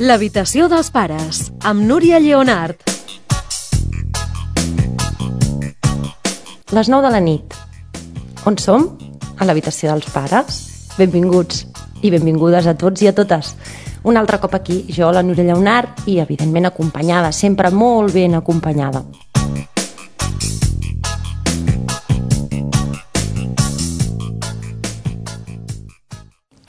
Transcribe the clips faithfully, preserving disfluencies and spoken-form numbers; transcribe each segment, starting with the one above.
L'habitació dels pares, amb Núria Lleonart. Les nou de la nit. On som? A l'habitació dels pares. Benvinguts i benvingudes a tots i a totes. Un altre cop aquí, jo, la Núria Lleonart, i evidentment acompanyada, sempre molt ben acompanyada.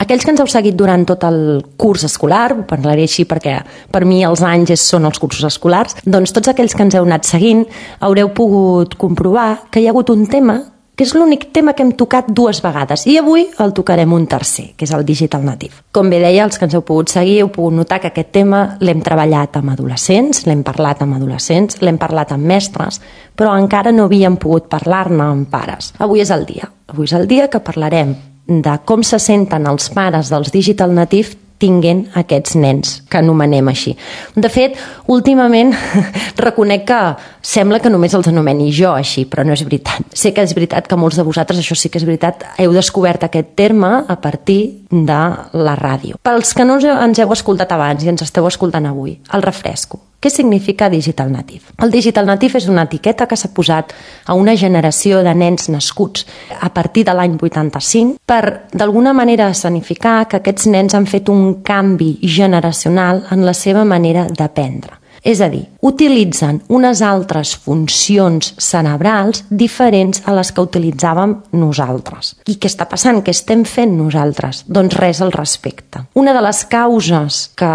Aquells que ens heu seguit durant tot el curs escolar, parlaré així perquè per mi els anys són els cursos escolars, doncs tots aquells que ens heu anat seguint haureu pogut comprovar que hi ha hagut un tema que és l'únic tema que hem tocat dues vegades i avui el tocarem un tercer, que és el Digital Native. Com bé deia, els que ens heu pogut seguir heu pogut notar que aquest tema l'hem treballat amb adolescents, l'hem parlat amb adolescents, l'hem parlat amb mestres, però encara no havíem pogut parlar-ne amb pares. Avui és el dia. Avui és el dia que parlarem de com se senten els pares dels Digital Native tinguent aquests nens, que anomenem així. De fet, últimament reconec que sembla que només els anomeni jo així, però no és veritat. Sé que és veritat que molts de vosaltres, això sí que és veritat, heu descobert aquest terme a partir de la ràdio. Pels que no ens heu escoltat abans i ens esteu escoltant avui, el refresco. Què significa Digital Native? El Digital Native és una etiqueta que s'ha posat a una generació de nens nascuts a partir de l'any vuitanta-cinc per, d'alguna manera, escenificar que aquests nens han fet un canvi generacional en la seva manera d'aprendre. És a dir, utilitzen unes altres funcions cerebrals diferents a les que utilitzàvem nosaltres. I què està passant? Què estem fent nosaltres? Doncs res al respecte. Una de les causes que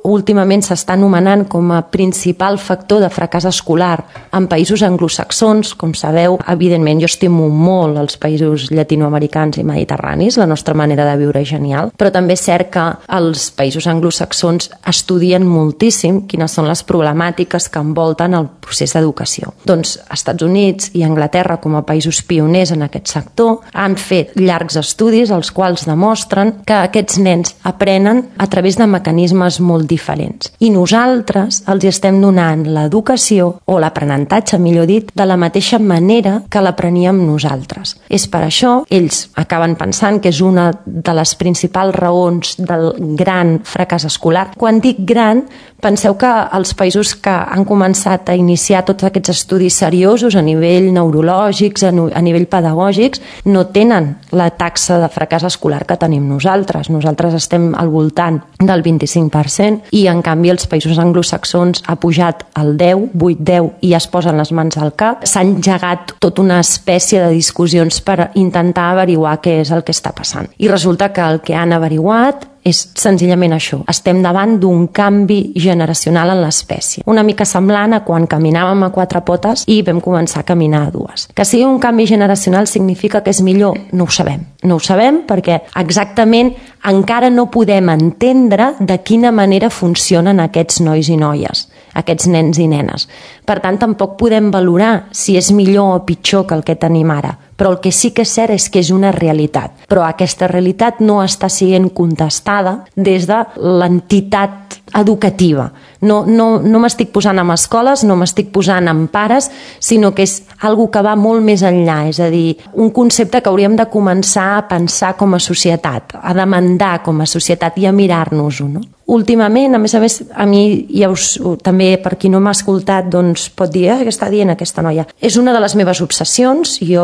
últimament s'està anomenant com a principal factor de fracàs escolar en països anglosaxons, com sabeu, evidentment jo estimo molt els països llatinoamericans i mediterranis, la nostra manera de viure és genial, però també és cert que els països anglosaxons estudien moltíssim quines són les problemàtiques que envolten el procés d'educació. Doncs Estats Units i Anglaterra, com a països pioners en aquest sector, han fet llargs estudis els quals demostren que aquests nens aprenen a través de mecanismes molt diferents. I nosaltres els estem donant l'educació, o l'aprenentatge, millor dit, de la mateixa manera que l'apreníem nosaltres. És per això, ells acaben pensant que és una de les principals raons del gran fracàs escolar. Quan dic gran, penseu que els països que han començat a iniciar tots aquests estudis seriosos a nivell neurològics, a nivell pedagògics, no tenen la taxa de fracàs escolar que tenim nosaltres. Nosaltres estem al voltant del vint-i-cinc per cent i en canvi els països anglosaxons ha pujat al deu, vuit, deu i es posen les mans al cap. S'ha engegat tota una espècie de discussions per intentar averiguar què és el que està passant. I resulta que el que han averiguat és senzillament això. Estem davant d'un canvi generacional en l'espècie. Una mica semblant a quan caminàvem a quatre potes i vam començar a caminar a dues. Que sigui un canvi generacional significa que és millor? No ho sabem. No ho sabem perquè exactament encara no podem entendre de quina manera funcionen aquests nois i noies, aquests nens i nenes. Per tant, tampoc podem valorar si és millor o pitjor que el que tenim ara. Però el que sí que és cert és que és una realitat. Però aquesta realitat no està sent contestada des de l'entitat educativa. No, no, no m'estic posant amb escoles, no m'estic posant amb pares, sinó que és algo que va molt més enllà. És a dir, un concepte que hauríem de començar a pensar com a societat, a demandar com a societat i a mirar-nos-ho, no? Últimament, a més a més, a mi, ja us, també per qui no m'ha escoltat, doncs pot dir, eh, què està dient aquesta noia? És una de les meves obsessions, jo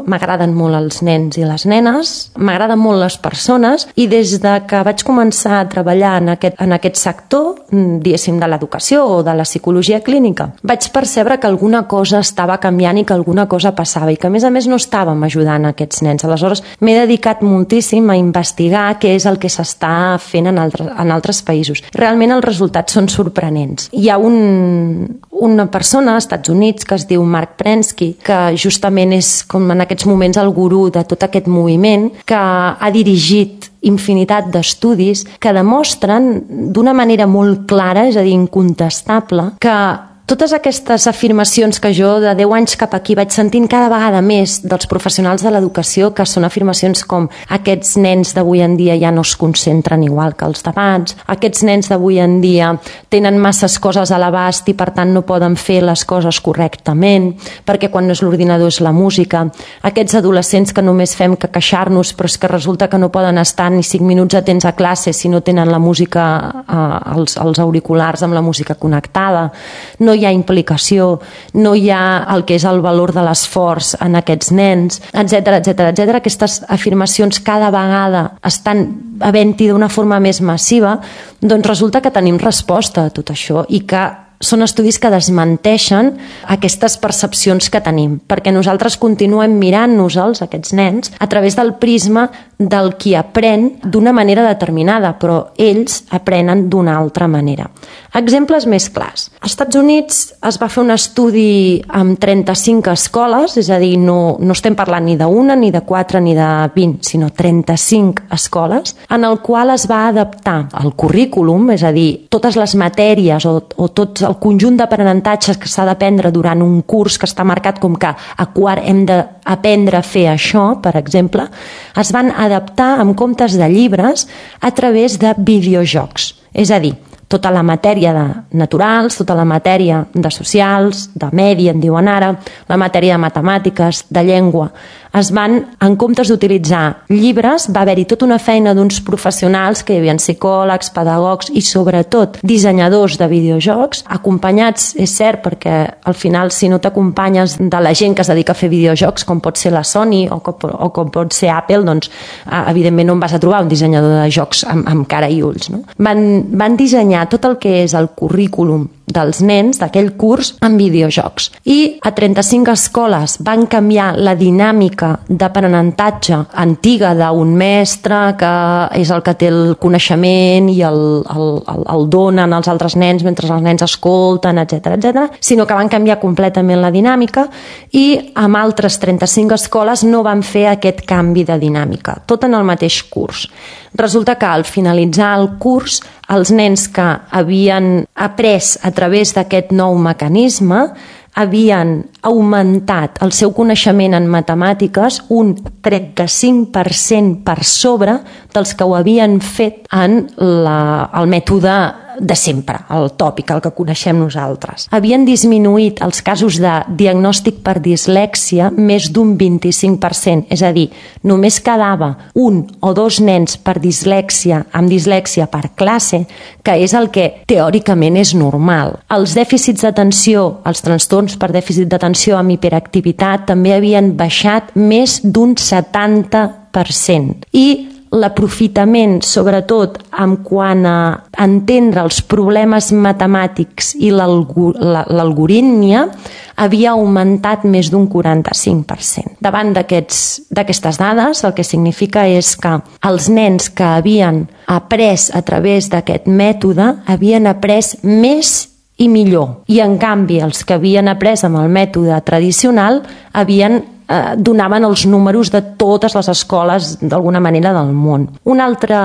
m'agraden molt els nens i les nenes, m'agraden molt les persones i des de que vaig començar a treballar en aquest, en aquest sector, diguéssim, de l'educació o de la psicologia clínica, vaig percebre que alguna cosa estava canviant i que alguna cosa passava i que a més a més no estàvem ajudant aquests nens. Aleshores m'he dedicat moltíssim a investigar què és el que s'està fent en altres, en altres països. Realment els resultats són sorprenents. Hi ha un, una persona als Estats Units que es diu Mark Prensky, que justament és com en aquests moments el gurú de tot aquest moviment, que ha dirigit infinitat d'estudis que demostren d'una manera molt clara, és a dir, incontestable, que totes aquestes afirmacions que jo de deu anys cap aquí vaig sentint cada vegada més dels professionals de l'educació, que són afirmacions com aquests nens d'avui en dia ja no es concentren igual que els d'abans, aquests nens d'avui en dia tenen masses coses a l'abast i per tant no poden fer les coses correctament, perquè quan no és l'ordinador és la música, aquests adolescents que només fem que queixar-nos però és que resulta que no poden estar ni cinc minuts atents a classe si no tenen la música eh, als, als auriculars amb la música connectada, no hi ha implicació, no hi ha el que és el valor de l'esforç en aquests nens, etcètera, etcètera, etcètera. Aquestes afirmacions cada vegada estan havent-hi d'una forma més massiva, doncs resulta que tenim resposta a tot això i que són estudis que desmenteixen aquestes percepcions que tenim, perquè nosaltres continuem mirant-nos-els, aquests nens, a través del prisma del qui aprèn d'una manera determinada, però ells aprenen d'una altra manera. Exemples més clars. Als Estats Units es va fer un estudi amb trenta-cinc escoles, és a dir, no, no estem parlant ni d'una, ni de quatre, ni de vint, sinó trenta-cinc escoles, en el qual es va adaptar el currículum, és a dir, totes les matèries o, o tots el conjunt d'aprenentatges que s'ha d'aprendre durant un curs que està marcat com que a quart hem d'aprendre a fer això, per exemple, es van adaptar en comptes de llibres a través de videojocs. És a dir, tota la matèria de naturals, tota la matèria de socials, de medi, en diuen ara, la matèria de matemàtiques, de llengua. Es van, en comptes d'utilitzar llibres, va haver-hi tota una feina d'uns professionals que hi havia psicòlegs, pedagogs i sobretot dissenyadors de videojocs, acompanyats, és cert, perquè al final si no t'acompanyes de la gent que es dedica a fer videojocs, com pot ser la Sony o com, o com pot ser Apple, doncs evidentment no en vas a trobar un dissenyador de jocs amb, amb cara i ulls. No? Van, van dissenyar tot el que és el currículum dels nens d'aquell curs en videojocs. I a trenta-cinc escoles van canviar la dinàmica d'aprenentatge antiga d'un mestre que és el que té el coneixement i el, el, el, el donen als altres nens mentre els nens escolten, etcètera, etcètera, sinó que van canviar completament la dinàmica i amb altres trenta-cinc escoles no van fer aquest canvi de dinàmica, tot en el mateix curs. Resulta que al finalitzar el curs, els nens que havien après a través d'aquest nou mecanisme havien augmentat el seu coneixement en matemàtiques un trenta-cinc per cent per sobre dels que ho havien fet en la, el mètode de sempre, el tòpic, el que coneixem nosaltres. Havien disminuït els casos de diagnòstic per dislèxia més d'un vint-i-cinc per cent, és a dir, només quedava un o dos nens per dislèxia, amb dislèxia per classe, que és el que teòricament és normal. Els dèficits d'atenció, els trastorns per dèficit d'atenció amb hiperactivitat també havien baixat més d'un setanta per cent. I l'aprofitament, sobretot en quant a entendre els problemes matemàtics i l'algorítmia, havia augmentat més d'un quaranta-cinc per cent. Davant d'aquestes dades, el que significa és que els nens que havien après a través d'aquest mètode havien après més i millor. I en canvi, els que havien après amb el mètode tradicional havien eh, donaven els números de totes les escoles d'alguna manera del món. Un altre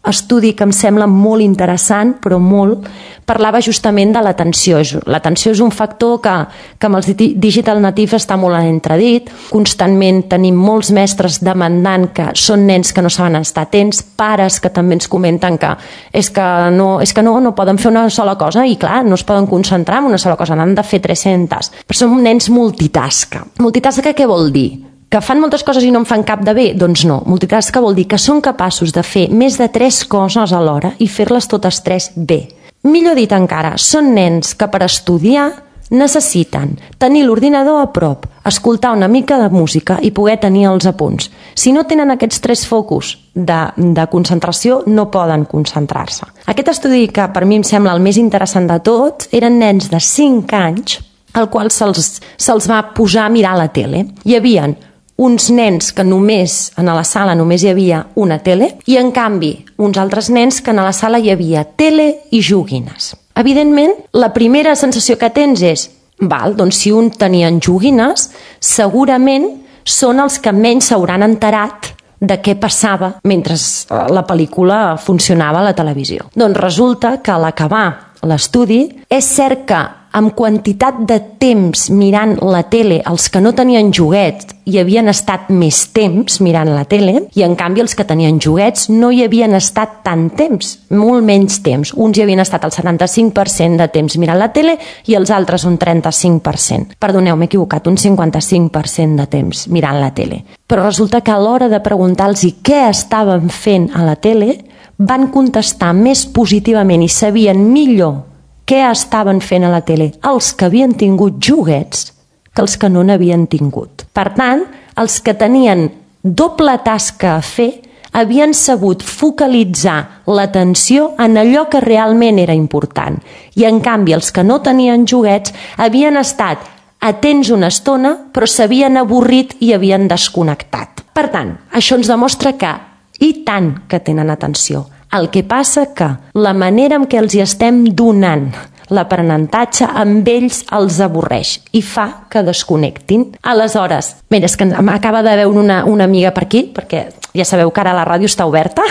estudi que em sembla molt interessant, però molt, parlava justament de l'atenció. L'atenció és un factor que, que amb els digital natives està molt en entredit. Constantment tenim molts mestres demandant que són nens que no saben estar atents, pares que també ens comenten que és que no, és que no, no poden fer una sola cosa i clar, no es poden concentrar en una sola cosa, n'han de fer tres-centes. Però són nens multitasca. Multitasca què vol dir? Que fan moltes coses i no en fan cap de bé? Doncs no. Multitasca vol dir que són capaços de fer més de tres coses alhora i fer-les totes tres bé. Millor dit encara, són nens que per estudiar necessiten tenir l'ordinador a prop, escoltar una mica de música i poder tenir els apunts. Si no tenen aquests tres focus de, de concentració, no poden concentrar-se. Aquest estudi, que per mi em sembla el més interessant de tots, eren nens de cinc anys, al qual se'ls se'ls va posar a mirar la tele. Hi havia uns nens que només, en la sala només hi havia una tele, i en canvi uns altres nens que en la sala hi havia tele i joguines. Evidentment, la primera sensació que tens és, val, doncs si un tenien joguines, segurament són els que menys s'hauran enterat de què passava mentre la pel·lícula funcionava a la televisió. Doncs resulta que a l'acabar l'estudi, és cert que amb quantitat de temps mirant la tele, els que no tenien joguets hi havien estat més temps mirant la tele, i en canvi els que tenien joguets no hi havien estat tant temps, molt menys temps. Uns hi havien estat el setanta-cinc per cent de temps mirant la tele i els altres un trenta-cinc per cent. Perdoneu, m'he equivocat, un cinquanta-cinc per cent de temps mirant la tele. Però resulta que a l'hora de preguntar-los què estaven fent a la tele, van contestar més positivament i sabien millor què estaven fent a la tele els que havien tingut joguets que els que no n'havien tingut. Per tant, els que tenien doble tasca a fer havien sabut focalitzar l'atenció en allò que realment era important. I en canvi, els que no tenien joguets havien estat atents una estona, però s'havien avorrit i havien desconnectat. Per tant, això ens demostra que, i tant que tenen atenció. El que passa que la manera en què els hi estem donant l'aprenentatge amb ells els avorreix i fa que desconnectin. Aleshores, mira, és que m'acaba de veure una, una amiga per aquí, perquè ja sabeu que ara la ràdio està oberta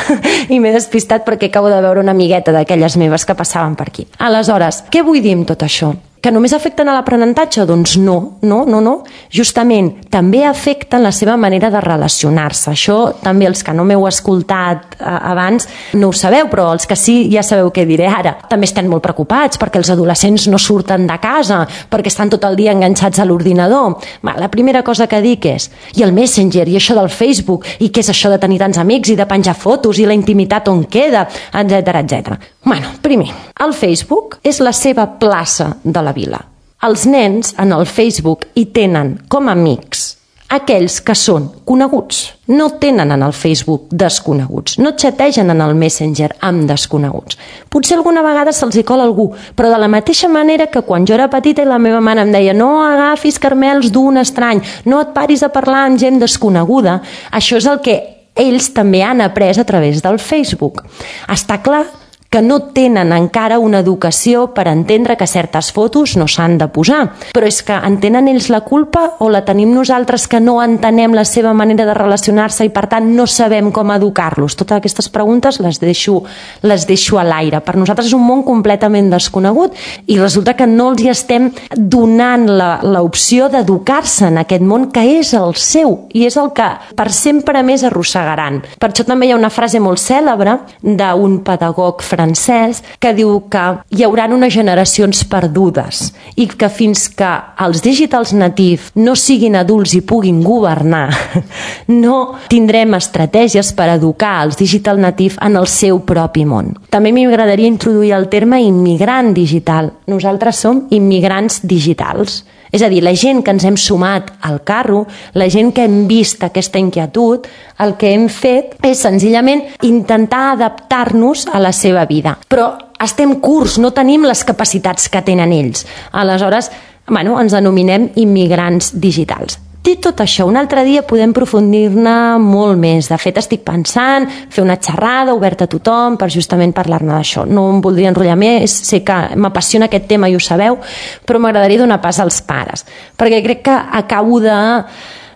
i m'he despistat perquè acabo de veure una amigueta d'aquelles meves que passaven per aquí. Aleshores, què vull dir amb tot això? Que només afecten a l'aprenentatge? Doncs no, no, no, no. Justament, també afecten la seva manera de relacionar-se. Això també els que no m'heu escoltat eh, abans no ho sabeu, però els que sí ja sabeu què diré ara. També estem molt preocupats perquè els adolescents no surten de casa, perquè estan tot el dia enganxats a l'ordinador. La primera cosa que dic és, i el Messenger, i això del Facebook, i què és això de tenir tants amics, i de penjar fotos, i la intimitat on queda, etcètera, etcètera. Bueno, primer, el Facebook és la seva plaça de la vila. Els nens en el Facebook hi tenen com a amics aquells que són coneguts. No tenen en el Facebook desconeguts. No xategen en el Messenger amb desconeguts. Potser alguna vegada se'ls hi cola algú, però de la mateixa manera que quan jo era petita i la meva mare em deia no agafis caramels d'un estrany, no et paris a parlar amb gent desconeguda, això és el que ells també han après a través del Facebook. Està clar que no tenen encara una educació per entendre que certes fotos no s'han de posar. Però és que en tenen ells la culpa o la tenim nosaltres que no entenem la seva manera de relacionar-se i per tant no sabem com educar-los? Totes aquestes preguntes les deixo, les deixo a l'aire. Per nosaltres és un món completament desconegut i resulta que no els hi estem donant l'opció d'educar-se en aquest món que és el seu i és el que per sempre més arrossegaran. Per això també hi ha una frase molt cèlebre d'un pedagog francès francès que diu que hi haurà unes generacions perdudes i que fins que els digitals natius no siguin adults i puguin governar, no tindrem estratègies per educar els digital natius en el seu propi món. També m'agradaria introduir el terme immigrant digital. Nosaltres som immigrants digitals. És a dir, la gent que ens hem sumat al carro, la gent que hem vist aquesta inquietud, el que hem fet és senzillament intentar adaptar-nos a la seva vida. Però estem curts, no tenim les capacitats que tenen ells. Aleshores, bueno, ens denominem immigrants digitals. Dit tot això, un altre dia podem aprofundir-ne molt més. De fet, estic pensant fer una xerrada oberta a tothom per justament parlar-ne d'això. No em voldria enrotllar més, sé que m'apassiona aquest tema i ho sabeu, però m'agradaria donar pas als pares, perquè crec que acabo de...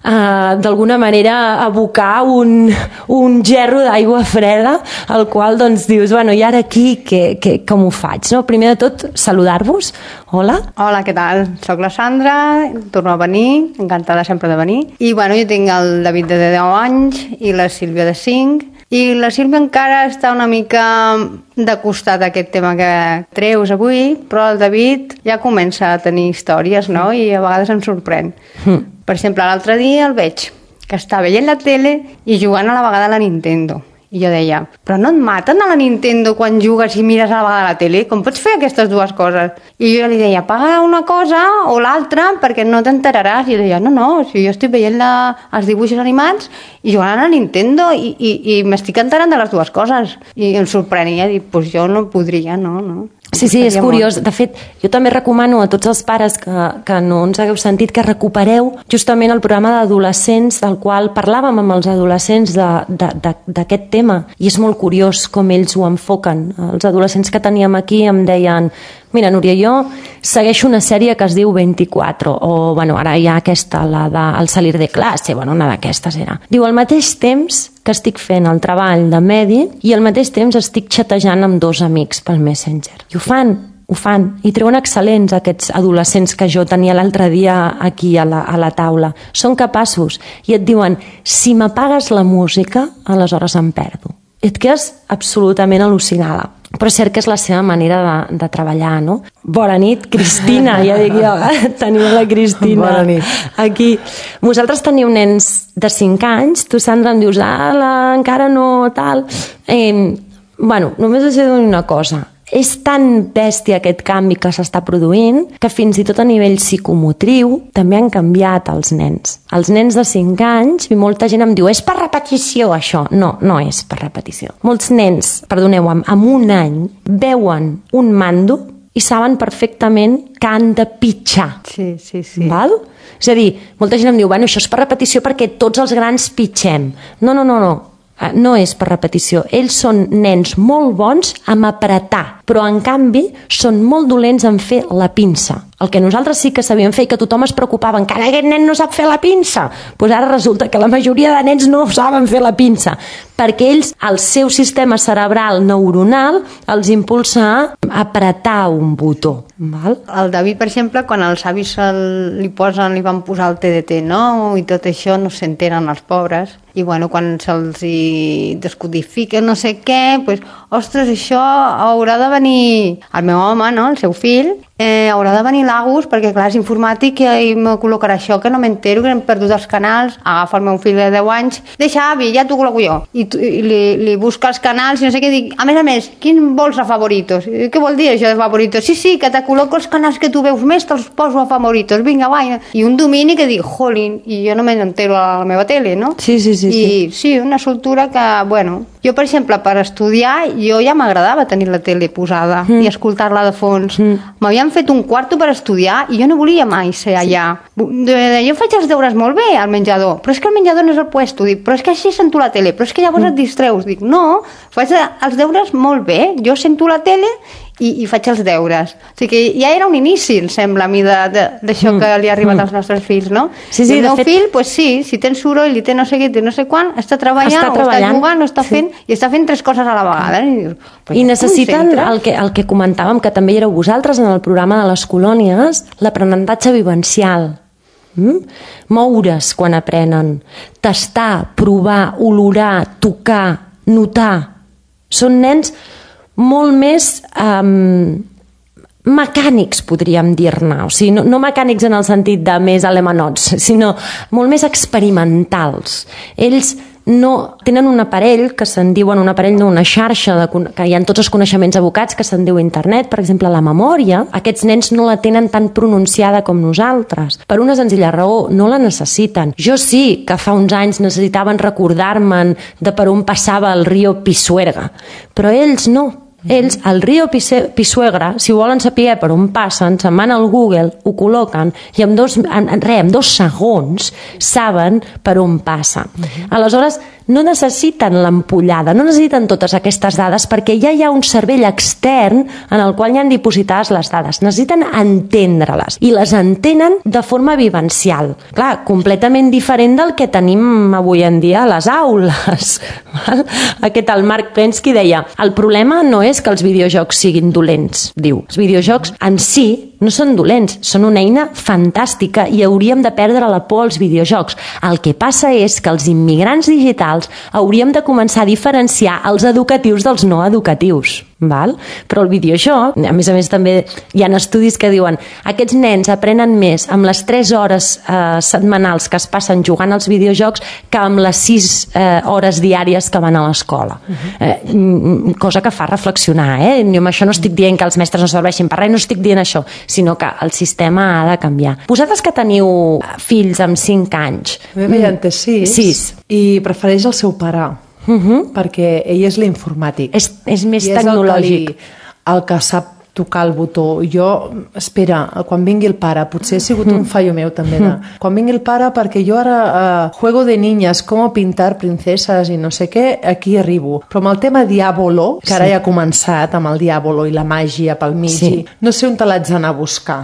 Uh, d'alguna manera abocar un, un gerro d'aigua freda al qual doncs dius, bueno, i ara aquí que, que, com ho faig? No? Primer de tot, saludar-vos. Hola. Hola, què tal? Soc la Sandra, torno a venir, encantada sempre de venir. I bueno, jo tinc el David de deu anys i la Sílvia de cinc. I la Sílvia encara està una mica de costat a aquest tema que treus avui, però el David ja comença a tenir històries, no? I a vegades em sorprèn. Mm. Per exemple, l'altre dia el veig que està veient la tele i jugant a la vegada a la Nintendo. I jo deia, però no et maten a la Nintendo quan jugues i mires a la vegada la tele? Com pots fer aquestes dues coses? I jo li deia, apaga una cosa o l'altra perquè no t'enteraràs. I jo deia, no, no, si jo estic veient la, els dibuixos animats i jugant a la Nintendo i, i, i m'estic enterant de les dues coses. I em sorprenia, dic, doncs jo no podria, no, no. Sí, sí, és curiós. De fet, jo també recomano a tots els pares que, que no ens hagueu sentit que recupereu justament el programa d'adolescents del qual parlàvem amb els adolescents d'aquest tema. I és molt curiós com ells ho enfoquen. Els adolescents que teníem aquí em deien mira, Núria, jo segueixo una sèrie que es diu vint-i-quatre, o bueno, ara hi ha aquesta, la de El salir de classe, bueno, una d'aquestes era. Diu, al mateix temps que estic fent el treball de medi i al mateix temps estic xatejant amb dos amics pel Messenger. I ho fan ho fan, i treuen excel·lents aquests adolescents que jo tenia l'altre dia aquí a la, a la taula. Són capaços i et diuen, si m'apagues la música, aleshores em perdo. I et quedes absolutament al·lucinada. Però és cert que és la seva manera de, de treballar, no? Bona nit, Cristina, ja dic jo, teniu la Cristina. Bona nit. Aquí. Vosaltres teniu nens de cinc anys, tu, Sandra, em dius, ala, encara no, tal. Eh, bueno, només us he de dir una cosa. És tan bèstia aquest canvi que s'està produint que fins i tot a nivell psicomotriu també han canviat els nens. Els nens de cinc anys, i molta gent em diu, és per repetició això. No, no és per repetició. Molts nens, perdoneu, amb, amb un any veuen un mando i saben perfectament que han de pitjar. Sí, sí, sí. Val? És a dir, molta gent em diu, bueno, això és per repetició perquè tots els grans pitgem. No, no, no, no. No és per repetició. Ells són nens molt bons amb apretar, però en canvi són molt dolents en fer la pinça. El que nosaltres sí que sabíem fer i que tothom es preocupava, encara aquest nen no sap fer la pinça. Doncs ara resulta que la majoria de nens no saben fer la pinça, perquè ells, el seu sistema cerebral neuronal, els impulsa a apretar un botó. Val? El David, per exemple, quan els avis el, li posen, li van posar el T D T nou i tot això, no s'entenen els pobres. I bueno, quan se'ls hi descodifica no sé què, doncs, ostres, això haurà de venir el meu home, no?, el seu fill, eh, haurà de venir l'Agus, perquè clar, és informàtic i me col·locarà això, que no m'entero, que hem perdut els canals. Agafa el meu fill de deu anys, deixa, avi, ja t'ho col·loco jo. I, i li, li busca els canals i no sé què, dic, a més a més, quin vols a favoritos? Què vol dir això de favoritos? Sí, sí, que te col·loco els canals que tu veus més, te'ls poso a favoritos, vinga, va. I un domini que dic, jolín, i jo no m'entero a la meva tele, no? Sí, sí, sí. I sí, una soltura que, bueno, jo, per exemple, per estudiar, jo ja m'agradava tenir la tele posada mm. i escoltar-la de fons. Mm. M'havien fet un quarto per estudiar i jo no volia mai ser allà. Sí. Jo faig els deures molt bé al menjador, però és que el menjador no és el puesto. Dic, però és que així sento la tele, però és que llavors mm. et distreus. Dic, no, faig els deures molt bé. Jo sento la tele i, i faig els deures. O sigui que ja era un inici, em sembla, a mi, d'això mm. que li ha arribat mm. als nostres fills, no? Sí, sí, I el meu fet... fill, pues sí, si tens soroll i té no sé què, té no sé quan, està treballant, està o treballant. Està jugant, o està fent, sí. I està fent tres coses a la vegada. I, dius, pues I necessiten el que, el que comentàvem, que també éreu vosaltres en el programa de les colònies, l'aprenentatge vivencial. Mm? Moure's quan aprenen, tastar, provar, olorar, tocar, notar. Són nens molt més um, mecànics, podríem dir-ne. O sigui, no, no mecànics en el sentit de més alemanots, sinó molt més experimentals. Ells no tenen un aparell que se'n diuen un aparell, no, una xarxa de, que hi ha tots els coneixements abocats que se'n diu internet, per exemple la memòria. Aquests nens no la tenen tan pronunciada com nosaltres, per una senzilla raó, no la necessiten. Jo sí que fa uns anys necessitaven recordar-me'n de per on passava el riu Pisuerga, però ells no. Ells, al riu Pisuerga, si volen saber per on passen, se'n van al Google, ho col·loquen i en dos, en, en, re, en dos segons saben per on passa. Uh-huh. Aleshores, no necessiten l'ampollada, no necessiten totes aquestes dades perquè ja hi ha un cervell extern en el qual hi han dipositades les dades. Necessiten entendre-les i les entenen de forma vivencial. Clar, completament diferent del que tenim avui en dia a les aules. Aquest, el Mark Prensky deia, el problema no és que els videojocs siguin dolents, diu. Els videojocs en si no són dolents, són una eina fantàstica i hauríem de perdre la por als videojocs. El que passa és que els immigrants digitals hauríem de començar a diferenciar els educatius dels no educatius. Val? Però el videojoc, a més a més també hi ha estudis que diuen aquests nens aprenen més amb les tres hores eh, setmanals que es passen jugant als videojocs que amb les sis eh, hores diàries que van a l'escola. Uh-huh. eh, cosa que fa reflexionar, eh? Jo amb això no estic dient que els mestres no serveixin per res, no estic dient això, sinó que el sistema ha de canviar. Vosaltres que teniu fills amb cinc anys... La meva mm, té sis, sis i prefereix el seu pare. Uh-huh. Perquè ell és l'informàtic. És, és més I tecnològic. És el que, li, el que sap tocar el botó. Jo, espera, quan vingui el pare, potser ha sigut un fallo meu també, de, quan vingui el pare, perquè jo ara uh, juego de niñas, com pintar princeses i no sé què, aquí arribo. Però amb el tema Diàbolo, que ara sí. Ja ha començat amb el Diàbolo i la màgia pel mig, sí. No sé on te l'haig d'anar a buscar.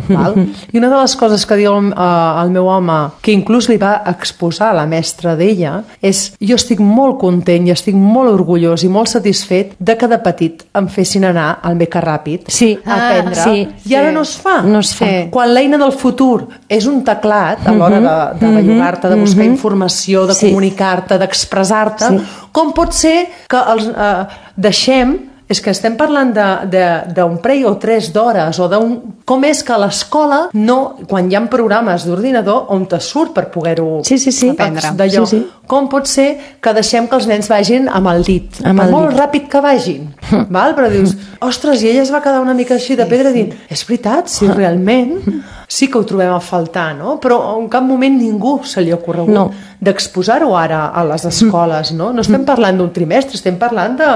Val? I una de les coses que diu uh, el meu home, que inclús li va exposar a la mestra d'ella, és jo estic molt content i estic molt orgullós i molt satisfet de que de petit em fessin anar al Becarrà ràpid Sí. aprendre, Ah, sí, i ara sí. no es fa. No es fa. Sí. Quan l'eina del futur és un teclat a l'hora de, de bellugar-te, de buscar informació, de Sí. comunicar-te, d'expressar-te, Sí. com pot ser que els eh, deixem. És que estem parlant d'un parell o tres d'hores, o d'un... Com és que a l'escola, no, quan hi ha programes d'ordinador, on te surt per poder-ho Sí, sí, sí. aprendre. D'allò. Sí, sí. Com pot ser que deixem que els nens vagin amb el dit? Amb per el molt dit. ràpid que vagin. Val? Però dius, ostres, i ella es va quedar una mica així de pedra dient, és veritat, si realment sí que ho trobem a faltar, no? Però en cap moment ningú se li ha ocorregut No. d'exposar-ho ara a les escoles, no? No estem parlant d'un trimestre, estem parlant de...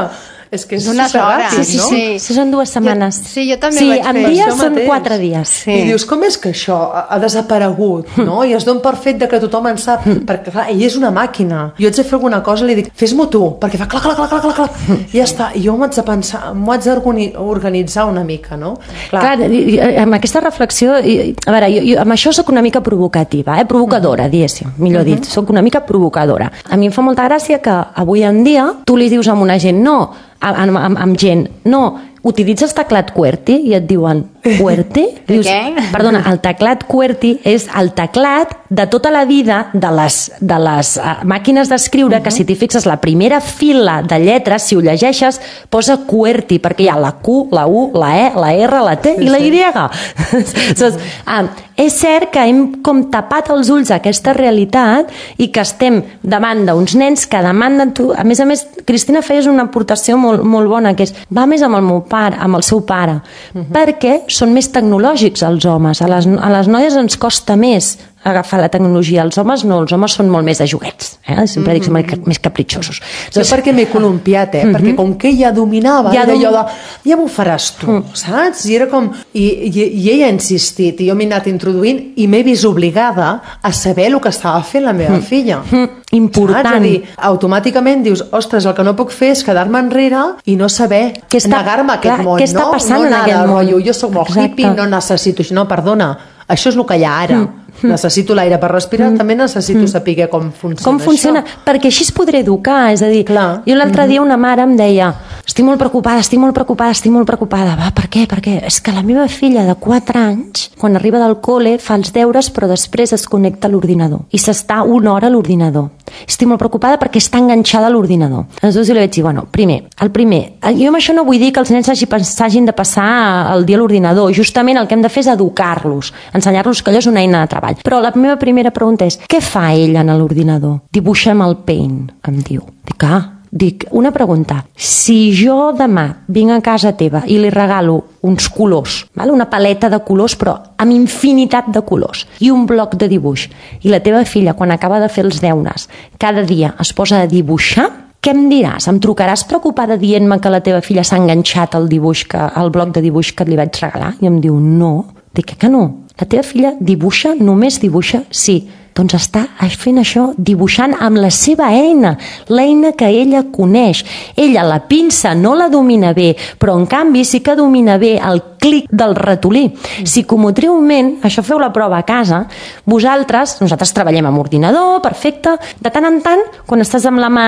És que és D'unes superràpid, hores, no? sí. Sí, són dues setmanes. Jo- sí, jo també sí, vaig en fer dies això són mateix. quatre dies. Sí. I dius, com és que això ha, ha desaparegut, no? I es dona per fet de que tothom en sap, perquè clar, ell és una màquina. Jo haig de fer alguna cosa i li dic, fes-m'ho tu, perquè fa clac, clac, clac, clac, clac, clac. I ja està. I jo m'ho haig de pensar, m'ho haig d'organitzar una mica, no? Clar, i- i- amb aquesta reflexió, i- a veure, jo, jo amb això sóc una mica provocativa, eh? provocadora, diguéssim, millor dit, sóc una mica provocadora. A mi em fa molta gràcia que avui en dia tu li dius a una gent, no, amb, amb, amb gent, no, utilitzes teclat QWERTY i et diuen QWERTY? Dius, Què? perdona, el teclat QWERTY és el teclat de tota la vida de les, de les uh, màquines d'escriure, que si t'hi fixes la primera fila de lletres, si ho llegeixes, posa QWERTY, perquè hi ha la Q, la U, la E, la R, la T i la Y. Saps? Ah, és cert que hem com tapat els ulls a aquesta realitat i que estem davant d'uns nens que demanden tu. A més a més, Cristina feies una aportació molt, molt bona, que és, va més amb el meu pare, amb el seu pare, uh-huh. perquè són més tecnològics els homes. A les, a les noies ens costa més agafar la tecnologia. Els homes no, els homes són molt més de joguets. Eh? Sempre dic, són més capritxosos. Jo perquè m'he columpiat, eh? Perquè com que ella dominava, Ja era dom- allò de, ja m'ho faràs tu, saps? I era com... I, i, i ella ha insistit, i jo m'he anat introduint, i m'he vist obligada a saber el que estava fent la meva filla. Important. Saps? És a dir, automàticament dius, ostres, el que no puc fer és quedar-me enrere i no saber Què està- negar-me a aquest clar, món, què està no? passant no en anar aquest de món? rotllo, jo soc molt Exacte. hippie, no necessito això. No, perdona, això és el que hi ha ara. Necessito l'aire per respirar, també necessito saber com funciona Com funciona? això. Perquè així es podré educar, és a dir, Clar. jo l'altre dia una mare em deia, estic molt preocupada, estic molt preocupada, estic molt preocupada. Va, per què? Per què? És que la meva filla de quatre anys, quan arriba del col·le, fa els deures però després es connecta a l'ordinador i s'està una hora a l'ordinador. Estic molt preocupada perquè està enganxada a l'ordinador. Aleshores jo li vaig dir, bueno, primer, el primer, jo amb això no vull dir que els nens s'hagin de passar el dia a l'ordinador, justament el que hem de fer és educar-los, ensenyar-los que allò és una eina de treball. Però la meva primera pregunta és, què fa ella en l'ordinador? Dibuixa amb el Paint, em diu. Dic, ah, dic, una pregunta. Si jo demà vinc a casa teva i li regalo uns colors, val? Una paleta de colors, però amb infinitat de colors, i un bloc de dibuix, i la teva filla, quan acaba de fer els deures, cada dia es posa a dibuixar, què em diràs? Em trucaràs preocupada dient-me que la teva filla s'ha enganxat al dibuix, que, al bloc de dibuix que li vaig regalar? I em diu, no. Dic, que no? La teva filla dibuixa, només dibuixa? Sí. Doncs està fent això, dibuixant amb la seva eina, l'eina que ella coneix. Ella la pinça no la domina bé, però en canvi sí que domina bé el clic del ratolí. Psicomotriument, això feu la prova a casa, vosaltres, nosaltres treballem amb ordinador, perfecte, de tant en tant, quan estàs amb la mà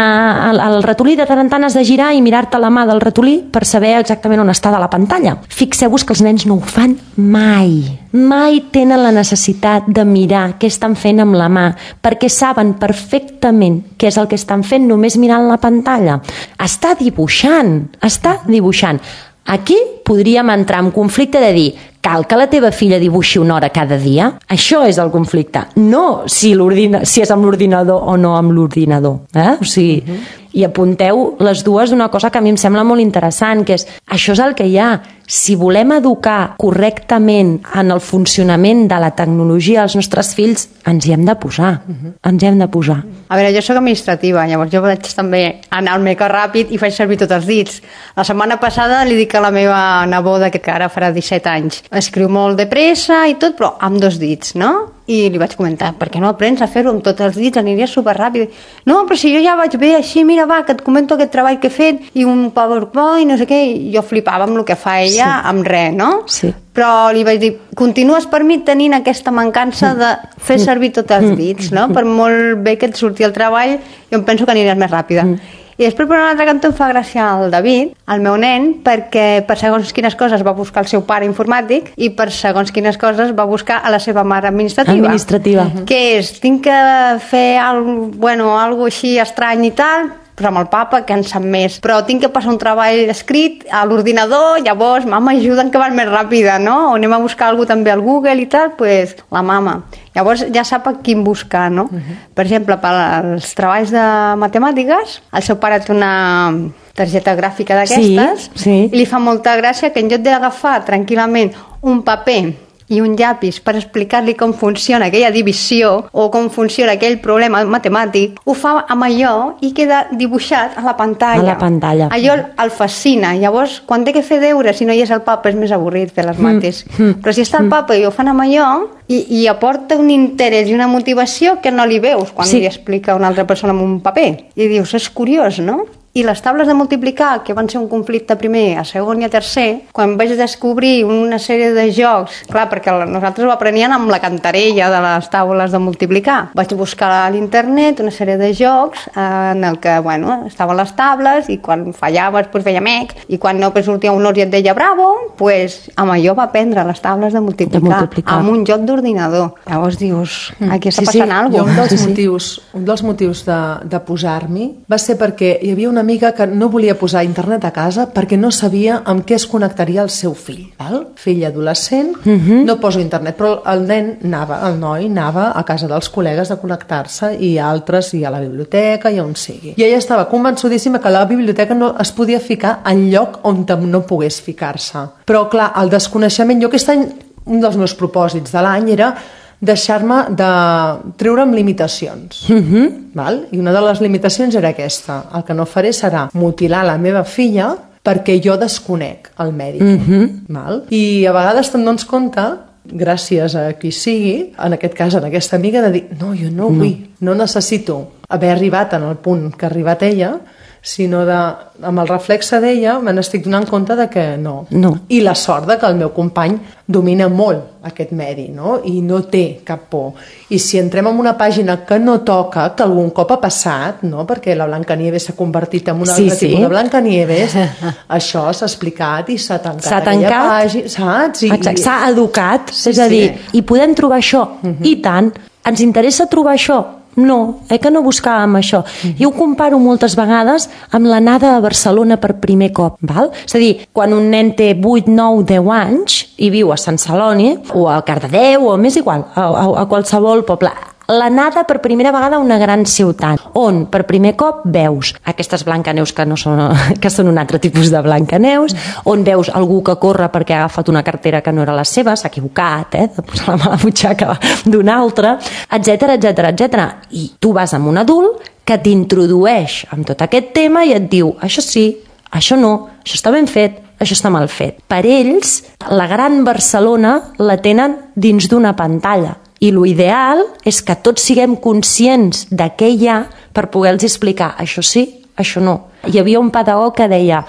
al, al ratolí, de tant en tant has de girar i mirar-te la mà del ratolí per saber exactament on està de la pantalla. Fixeu-vos que els nens no ho fan mai. Mai tenen la necessitat de mirar què estan fent amb la mà, perquè saben perfectament què és el que estan fent només mirant la pantalla. Està dibuixant, està dibuixant. Aquí podríem entrar en conflicte de dir, cal que la teva filla dibuixi una hora cada dia? Això és el conflicte. No si, si és amb l'ordinador o no amb l'ordinador. Eh? O sigui, uh-huh. I apunteu les dues d'una cosa que a mi em sembla molt interessant, que és, això és el que hi ha. Si volem educar correctament en el funcionament de la tecnologia als nostres fills, ens hi hem de posar. Uh-huh. Ens hi hem de posar. A veure, jo sóc administrativa, llavors jo vaig també anar al mega ràpid i faig servir tots els dits. La setmana passada li dic a la meva neboda, que ara farà disset anys, escriu molt de pressa i tot, però amb dos dits, no? I li vaig comentar, per què no aprens a fer-ho amb tots els dits, aniria superràpid. No, però si jo ja vaig bé així, mira, va, que et comento aquest treball que he fet i un PowerPoint, no sé què, i jo flipava amb el que fa ella, sí. Amb res, no? Sí. Però li vaig dir, continues per mi tenint aquesta mancança de fer servir tots els dits, no? Per molt bé que et surti el treball, jo em penso que aniràs més ràpida. I després, per un altre cantó, em fa gràcia el David, el meu nen, perquè per segons quines coses va buscar el seu pare informàtic i per segons quines coses va buscar a la seva mare administrativa. Administrativa. Uh-huh. Que és, tinc que fer algo, bueno, algo així estrany i tal, però amb el papa, que en sap més. Però tinc que passar un treball escrit a l'ordinador, llavors, mama, ajuda'm que vas més ràpida, no? O anem a buscar alguna també al Google i tal, pues, la mama. Llavors ja sap a quin buscar, no? Uh-huh. Per exemple, per als treballs de matemàtiques, el seu pare té una targeta gràfica d'aquestes, sí, sí. i li fa molta gràcia que en lloc d'agafar tranquil·lament un paper i un llapis per explicar-li com funciona aquella divisió o com funciona aquell problema matemàtic, ho fa amb allò i queda dibuixat a la pantalla. A la pantalla. Allò el fascina. Llavors, quan té que fer deures, si no hi és el papa, és més avorrit fer les mates. Mm. Però si està el papa i ho fan amb allò, i, i aporta un interès i una motivació que no li veus quan sí. li explica una altra persona amb un paper. I dius, és curiós, no? I les taules de multiplicar, que van ser un conflicte primer, a segon i a tercer, quan vaig descobrir una sèrie de jocs, clar, perquè nosaltres ho apreníem amb la cantarella de les taules de multiplicar. Vaig buscar a l'internet una sèrie de jocs en el que, bueno, estaven les tables i quan fallaves, pues feia mec, i quan no, pues sortia un or i et deia bravo, pues amb allò va aprendre les taules de multiplicar, de multiplicar. amb un joc d'ordinador. Llavors dius, aquí està sí, passant sí. alguna cosa. Un dels sí, motius, un dels motius de, de posar-m'hi va ser perquè hi havia una amiga que no volia posar internet a casa perquè no sabia amb què es connectaria el seu fill. Val? Fill adolescent, uh-huh. no poso internet, però el nen anava, el noi anava a casa dels col·legues a connectar-se i altres, i a la biblioteca i on sigui. I ella estava convençudíssima que la biblioteca no es podia ficar en lloc on no pogués ficar-se. Però clar, el desconeixement, jo aquest any, un dels meus propòsits de l'any era deixar-me de treure'm limitacions. Uh-huh. Val? I una de les limitacions era aquesta. El que no faré serà mutilar la meva filla perquè jo desconec el mèdic. Uh-huh. Val? I a vegades te'n dones compte, gràcies a qui sigui, en aquest cas, en aquesta amiga, de dir, no, jo no vull, no, no necessito haver arribat en el punt que ha arribat ella, sinó de, amb el reflexe d'ella me n'estic donant compte de que no. no. I la sort de que el meu company domina molt aquest medi, no? I no té cap por. I si entrem en una pàgina que no toca, que algun cop ha passat, no? Perquè la Blancanieves s'ha convertit en un sí, altre sí. tipus de Blancanieves, això s'ha explicat i s'ha tancat. S'ha tancat, pàgina, saps? I, s'ha educat, sí, és a dir, sí. i podem trobar això, uh-huh. i tant, ens interessa trobar això. No, eh que no buscàvem això. Mm-hmm. Jo ho comparo moltes vegades amb l'anada a Barcelona per primer cop, val? És a dir, quan un nen té vuit, nou, deu anys i viu a Sant Celoni o a Cardedeu o m'és igual, a, a, a qualsevol poble, l'anada per primera vegada a una gran ciutat, on per primer cop veus aquestes Blancaneus que, no són, que són un altre tipus de Blancaneus, on veus algú que corre perquè ha agafat una cartera que no era la seva, s'ha equivocat, eh, de posar la mà a la butxaca d'un altre, etcètera, etcètera, etcètera. I tu vas amb un adult que t'introdueix amb tot aquest tema i et diu, això sí, això no, això està ben fet, això està mal fet. Per ells, la gran Barcelona la tenen dins d'una pantalla. I l'ideal és que tots siguem conscients de què hi ha per poder-los explicar això sí, això no. Hi havia un pedagog que deia,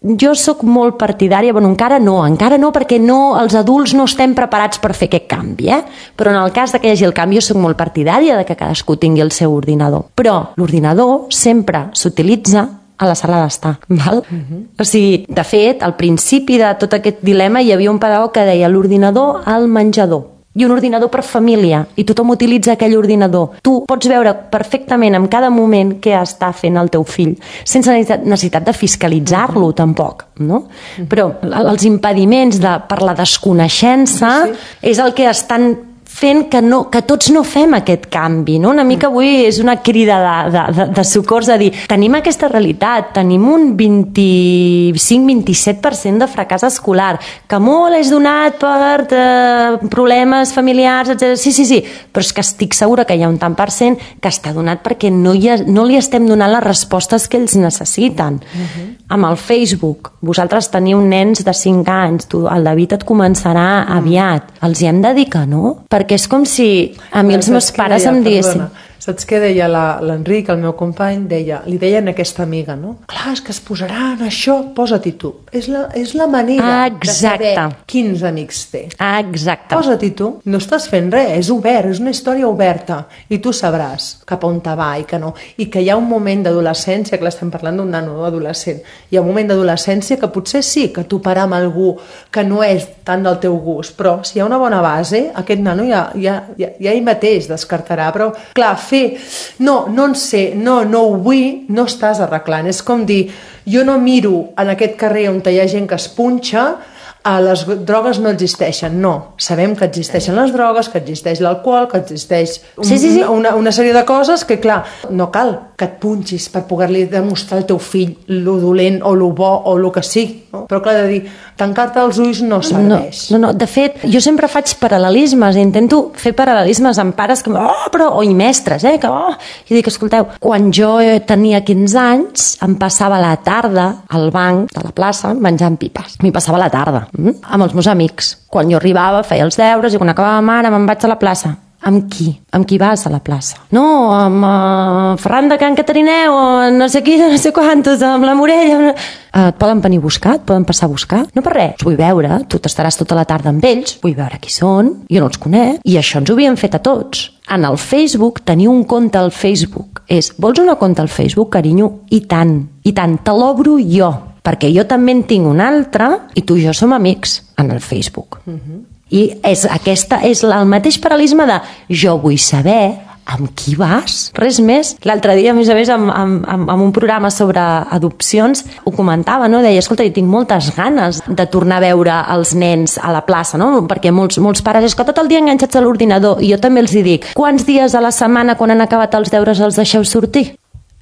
jo sóc molt partidària, bueno, encara no, encara no, perquè no, els adults no estem preparats per fer aquest canvi, eh? Però en el cas de que hi hagi el canvi, jo sóc molt partidària de que cadascú tingui el seu ordinador. Però l'ordinador sempre s'utilitza a la sala d'estar, val? Uh-huh. O sigui, de fet, al principi de tot aquest dilema hi havia un pedagog que deia l'ordinador al menjador i un ordinador per família, i tothom utilitza aquell ordinador. Tu pots veure perfectament en cada moment què està fent el teu fill, sense necessitat de fiscalitzar-lo, uh-huh. tampoc, no? Uh-huh. Però els impediments de, per la desconeixença sí. és el que estan fent que, no, que tots no fem aquest canvi, no? Una mica avui és una crida de, de, de, de socors de dir, tenim aquesta realitat, tenim un vint-i-cinc vint i set per cent de fracàs escolar, que molt és donat per eh, problemes familiars, etcètera. Sí, sí, sí, però és que estic segura que hi ha un tant per cent que està donat perquè no, hi ha, no li estem donant les respostes que ells necessiten. Uh-huh. Amb el Facebook, vosaltres teniu nens de cinc anys, tu, el David et començarà uh-huh. aviat, els hi hem de dir que no? Perquè és com si a mi els meus pares em diguessin... Saps què deia la- l'Enric, el meu company? Deia, li deien a aquesta amiga, no? Clar, és que es posaran això, posa-t'hi tu. És la, és la manera Exacte. de saber quins amics té. Exacte. Posa-t'hi tu. No estàs fent res, és obert, és una història oberta. I tu sabràs cap a on te va i que no. I que hi ha un moment d'adolescència, que l'estem parlant d'un nano adolescent, hi ha un moment d'adolescència que potser sí que toparà amb algú que no és tant del teu gust, però si hi ha una bona base, aquest nano ja, ja, ja, ja ell mateix descartarà. Però, clar, fer, no, no en sé, no, no ho vull, no estàs arreglant. És com dir, jo no miro en aquest carrer on hi ha gent que es punxa, a les drogues no existeixen. No, sabem que existeixen les drogues, que existeix l'alcohol, que existeix un, Sí, sí, sí. Una, una sèrie de coses que, clar, no cal que et punxis per poder-li demostrar al teu fill lo dolent o lo bo o lo que sigui. No? Però, clar, de dir, tancar-te els ulls no serveix. No, no, no, de fet, jo sempre faig paral·lelismes, intento fer paral·lelismes amb pares que, oh, però, o i mestres, eh, que, oh, i dic, escolteu, quan jo tenia quinze anys, em passava la tarda al banc de la plaça menjant pipes. M'hi passava la tarda, mm? amb els meus amics. Quan jo arribava, feia els deures i quan acabava mare me'n vaig a la plaça. Amb qui? Amb qui vas a la plaça? No, amb uh, Ferran de Can Catarineu, o no sé qui, no sé quantos, amb la Morella... Uh, et poden venir a buscar? Et poden passar a buscar? No per res. Els vull veure, tu t'estaràs tota la tarda amb ells, vull veure qui són, jo no els conec, i això ens ho havíem fet a tots. En el Facebook, tenir un compte al Facebook és, vols una compte al Facebook, carinyo? I tant, i tant, te l'obro jo, perquè jo també en tinc un altre i tu i jo som amics en el Facebook. Uh-huh. I és, aquesta és el mateix paral·lelisme de jo vull saber amb qui vas, res més. L'altre dia, a més a més, amb, amb, amb un programa sobre adopcions, ho comentava, no? Deia, escolta, jo tinc moltes ganes de tornar a veure els nens a la plaça, no? Perquè molts, molts pares és que tot el dia enganxats a l'ordinador, i jo també els hi dic, quants dies a la setmana, quan han acabat els deures, els deixeu sortir?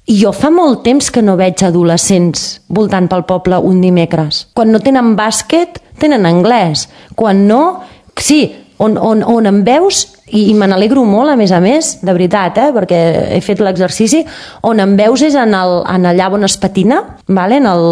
I jo fa molt temps que no veig adolescents voltant pel poble un dimecres. Quan no tenen bàsquet, tenen anglès. Quan no, sí, on, on, on em veus, i, i me n'alegro molt, a més a més, de veritat, eh, perquè he fet l'exercici, on em veus és en, el, en allà on es patina, vale? En el,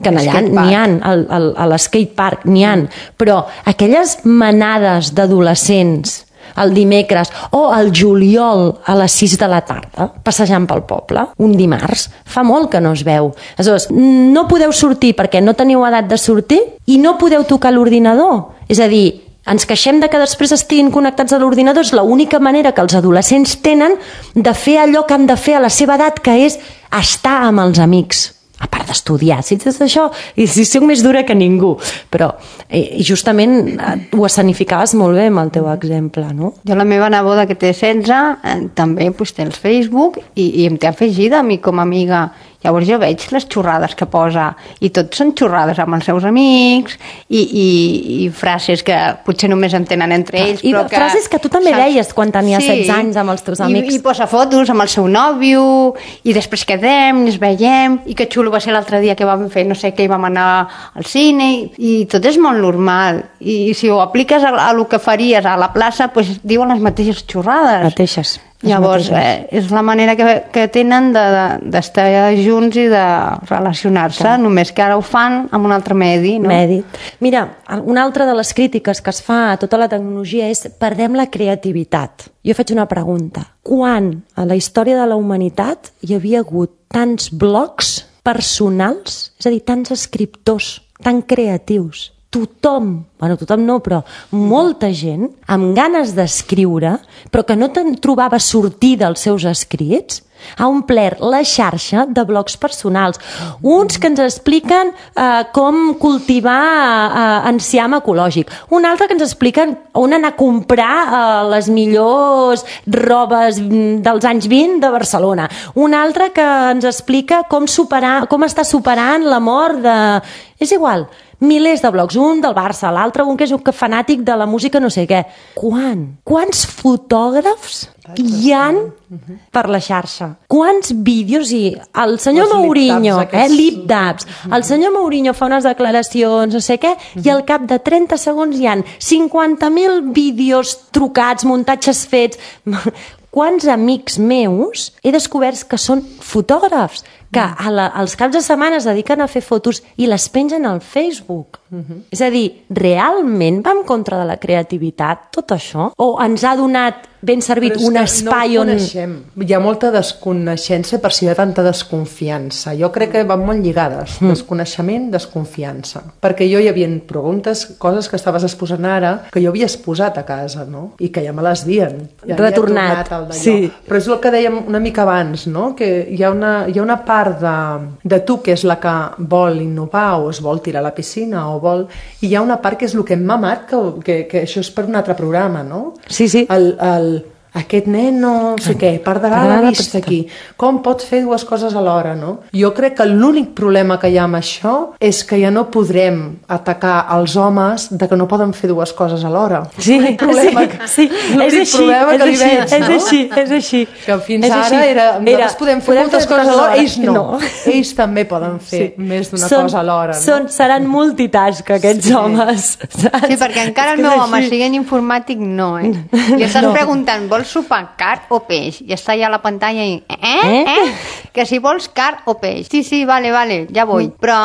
que en allà n'hi ha, al, al, a l'skate park n'hi ha, però aquelles manades d'adolescents el dimecres o el juliol a les sis de la tarda passejant pel poble, un dimarts, fa molt que no es veu. Aleshores, no podeu sortir perquè no teniu edat de sortir i no podeu tocar l'ordinador. És a dir, ens queixem de que després estiguin connectats a l'ordinador, és l'única manera que els adolescents tenen de fer allò que han de fer a la seva edat, que és estar amb els amics. A part d'estudiar, si ets això, i si soc més dura que ningú. Però i justament ho escenificaves molt bé amb el teu exemple, no? Jo, la meva neboda, que té setze, eh, també pues, té el Facebook i, i em té afegida a mi com a amiga. Llavors jo veig les xorrades que posa i tot són xorrades amb els seus amics i, i, i frases que potser només entenen entre ells. I però que, frases que tu també saps? deies quan tenies Sí. setze anys amb els teus amics. I, i posa fotos amb el seu nòvio i després quedem, ens veiem i que xulo va ser l'altre dia que vam fer no sé què i vam anar al cine i, i tot és molt normal i si ho apliques a, a lo que faries a la plaça pues, diuen les mateixes xorrades. Mateixes. Llavors, eh, és la manera que, que tenen d'estar de, de junts i de relacionar-se, Clar. Només que ara ho fan amb un altre medi, no? Medi. Mira, una altra de les crítiques que es fa a tota la tecnologia és perdem la creativitat. Jo faig una pregunta. Quan a la història de la humanitat hi havia hagut tants blogs personals, és a dir, tants escriptors tan creatius? Tothom, bueno, tothom no, però molta gent amb ganes d'escriure, però que no te'n trobava sortir dels seus escrits, ha omplert la xarxa de blogs personals. Uns que ens expliquen eh, com cultivar eh, enciam ecològic, un altre que ens expliquen on anar a comprar eh, les millors robes dels anys vint de Barcelona, un altre que ens explica com, superar, com està superant la mort de... És igual, milers de blogs, un del Barça, l'altre un que és un fanàtic de la música no sé què. Quan? Quants fotògrafs hi han per la xarxa? Quants vídeos? I el senyor Mourinho, eh, lip-dabs, el senyor Mourinho fa unes declaracions, no sé què, i al cap de trenta segons hi han cinquanta mil vídeos trucats, muntatges fets... Quants amics meus he descobert que són fotògrafs, que a la, als caps de setmana es dediquen a fer fotos i les pengen al Facebook. Uh-huh. És a dir, realment va en contra de la creativitat tot això? O ens ha donat ben servit, un espai no on... coneixem. Hi ha molta desconeixença per si hi ha tanta desconfiança. Jo crec que van molt lligades. Mm. Desconeixement, desconfiança. Perquè jo hi havia preguntes, coses que estaves exposant ara, que jo havia exposat a casa, no? I que ja me les dien. Ja retornat. Sí. Però és el que dèiem una mica abans, no? Que hi ha una, hi ha una part de, de tu que és la que vol innovar o es vol tirar a la piscina o vol... I hi ha una part que és el que hem mamat, que, que, que això és per un altre programa, no? Sí, sí. El, el, aquest nen no sé què, perdrà la vista aquí. Com pot fer dues coses alhora, no? Jo crec que l'únic problema que hi ha amb això és que ja no podrem atacar els homes de que no poden fer dues coses alhora. Sí, problema, sí, sí. És així, problema és que li així, veig, és no? així, és així. Que fins és ara així. era, nosaltres podem fer podem moltes fer coses alhora, ells no. no. Ells també poden fer sí. més d'una són, cosa alhora. No? Són, seran multitask, aquests sí. homes. Saps? Sí, perquè encara el meu home sigui en informàtic, no, eh? I estàs no. preguntant, vols sopar car o peix? I està ja a la pantalla i... Eh? Eh? eh? Que si vols car o peix. Sí, sí, vale, vale, ja vull. Però,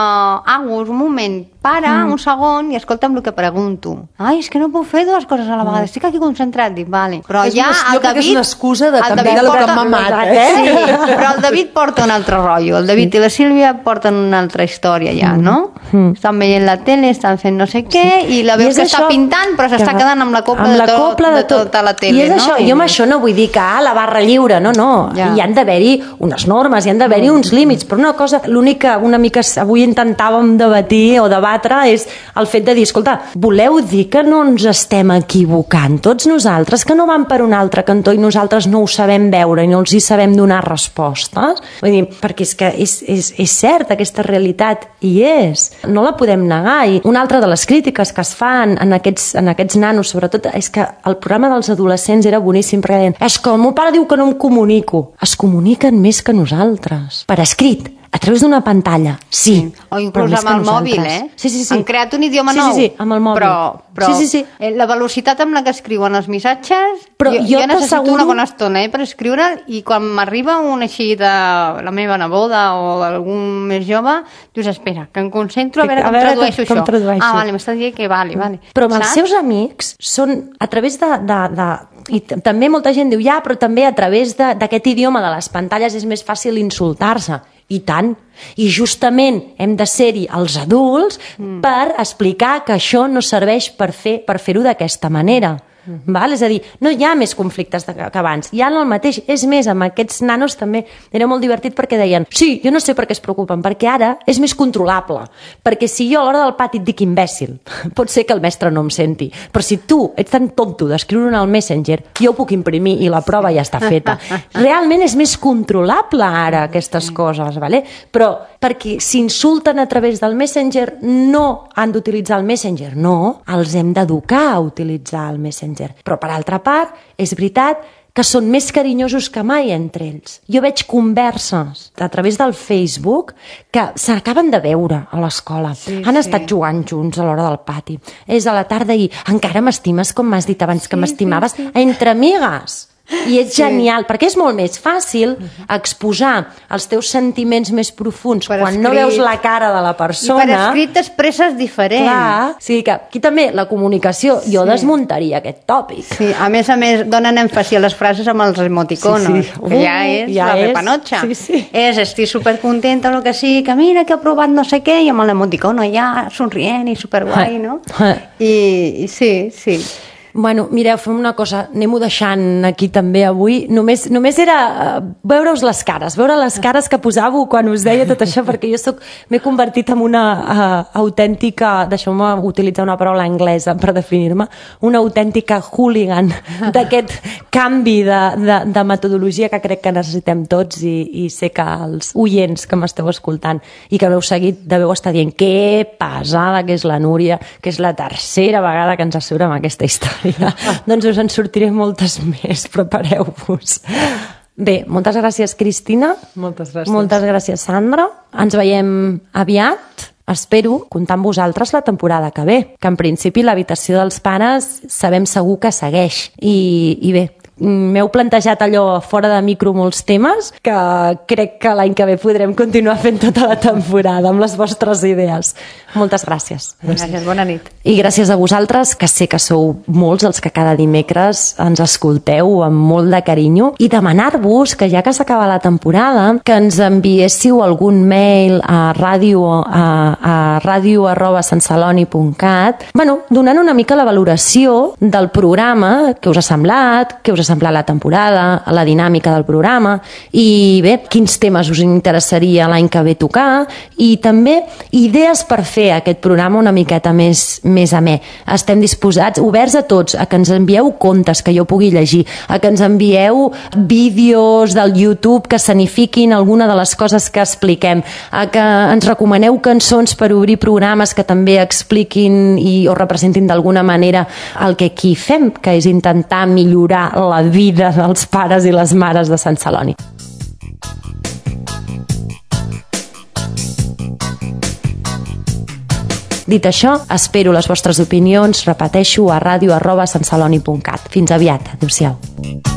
Agus, un moment, para mm. un segon i escolta'm el que pregunto. Ai, és que no puc fer dues coses a la vegada. Estic aquí concentrat. Dic, vale. Però és ja una, el David... és una excusa de, també David del porta, que m'ha matat, eh? Sí, però el David porta un altre rotllo. El David i la Sílvia porten una altra història ja, no? Mm. Estan veient la tele, estan fent no sé què, i la veus que està pintant, però s'està quedant amb la copla, amb de, la tot, copla de, de tot. tota la tele, I és no? això, jo amb això no vull dir que ah, la barra lliure, no, no. Ja. Hi han d'haver-hi unes normes, hi han d'haver-hi uns límits, però una cosa, l'únic que una mica avui intentàvem debatir o debatre és el fet de dir, escolta, voleu dir que no ens estem equivocant tots nosaltres, que no van per un altre cantó i nosaltres no ho sabem veure i no els hi sabem donar respostes? Vull dir, perquè és que és, és, és cert, aquesta realitat hi és, no la podem negar. I una altra de les crítiques que es fan en aquests, en aquests nanos, sobretot, és que el programa dels adolescents era boníssim, perquè deien, és que el meu pare diu que no em comunico. Es comuniquen més que nosaltres. Per escrit, a través d'una pantalla, sí. sí. O inclús amb el mòbil, eh? Sí, sí, sí. Han creat un idioma sí, nou. Sí, sí, amb el mòbil. Però, però sí, sí, sí. la velocitat amb la que escriuen els missatges, però jo, jo, jo necessito t'asseguro... una bona estona eh, per escriure'l, i quan m'arriba un així de la meva neboda o algun més jove, dius, espera, que em concentro a veure, a com, veure tradueixo com, com tradueixo això. Ah, vale, m'estàs dient que vale, vale. Però amb saps? Els seus amics són a través de... de, de i també molta gent diu, ja, però també a través d'aquest idioma de les pantalles és més fàcil insultar-se. I tant. I justament hem de ser-hi els adults mm. per explicar que això no serveix per fer per fer-ho d'aquesta manera. Mm-hmm. Val? És a dir, no hi ha més conflictes de, que abans, hi ha el mateix. És més, amb aquests nanos també era molt divertit perquè deien, sí, jo no sé per què es preocupen, perquè ara és més controlable, perquè si jo a l'hora del pati et dic imbècil, pot ser que el mestre no em senti, però si tu ets tan tonto d'escriure-ho al Messenger, jo ho puc imprimir i la prova ja està feta. Realment és més controlable ara aquestes coses, vale? Però perquè s'insulten a través del Messenger no han d'utilitzar el Messenger, no, els hem d'educar a utilitzar el Messenger. Però per altra part, és veritat que són més carinyosos que mai entre ells. Jo veig converses a través del Facebook que s'acaben de veure a l'escola. Sí, Han sí. estat jugant junts a l'hora del pati. És a la tarda i encara m'estimes com m'has dit abans sí, que m'estimaves? Sí, sí. Entre amigues. I és sí. genial, perquè és molt més fàcil exposar els teus sentiments més profuns per quan escrit. No veus la cara de la persona. I per escrit t'expresses diferent. Clar, o sigui que aquí també la comunicació, jo sí. desmuntaria aquest tòpic. Sí, a més a més donen èmfasi a les frases amb els emoticonos, sí, sí. que ja és ja la és. repanotxa. Sí, sí. És, estic supercontenta o el que sigui, que mira que he provat no sé què, i amb l'emoticono ja somrient i superguai, no? I, i sí, sí. Bueno, mireu, fem una cosa, anem-ho deixant aquí també avui. Només, només era uh, veure-us les cares, veure les cares que posàveu quan us deia tot això, perquè jo soc, m'he convertit en una uh, autèntica, deixeu-me utilitzar una paraula anglesa per definir-me, una autèntica hooligan d'aquest canvi de, de, de metodologia que crec que necessitem tots i, i sé que els oients que m'esteu escoltant i que m'heu seguit deveu estar dient que pesada que és la Núria, que és la tercera vegada que ens assura amb aquesta història. Doncs us en sortiré moltes més, prepareu-vos. Bé, moltes gràcies, Cristina. Moltes gràcies. Moltes gràcies, Sandra. Ens veiem aviat. Espero comptar amb vosaltres la temporada que ve, que en principi l'habitació dels pares sabem segur que segueix. I, i bé, m'heu plantejat allò fora de micro molts temes que crec que l'any que ve podrem continuar fent tota la temporada amb les vostres idees. Moltes gràcies. Gràcies, bona nit. I gràcies a vosaltres, que sé que sou molts els que cada dimecres ens escolteu amb molt de carinyo, i demanar-vos que ja que s'acaba la temporada, que ens enviéssiu algun mail a ràdio a, a ràdio arroba santceloni punt cat, bueno, donant una mica la valoració del programa, què us ha semblat, què us ha semblat la temporada, la dinàmica del programa, i bé, quins temes us interessaria l'any que ve tocar, i també idees per fer aquest programa una miqueta més, més amè. Estem disposats, oberts a tots, a que ens envieu contes que jo pugui llegir, a que ens envieu vídeos del YouTube que sanifiquin alguna de les coses que expliquem, a que ens recomaneu cançons per obrir programes que també expliquin i, o representin d'alguna manera el que aquí fem, que és intentar millorar la vida dels pares i les mares de Sant Celoni. Dit això, espero les vostres opinions, repeteixo, a ràdio arroba santceloni punt cat. Fins aviat. Adéu-siau.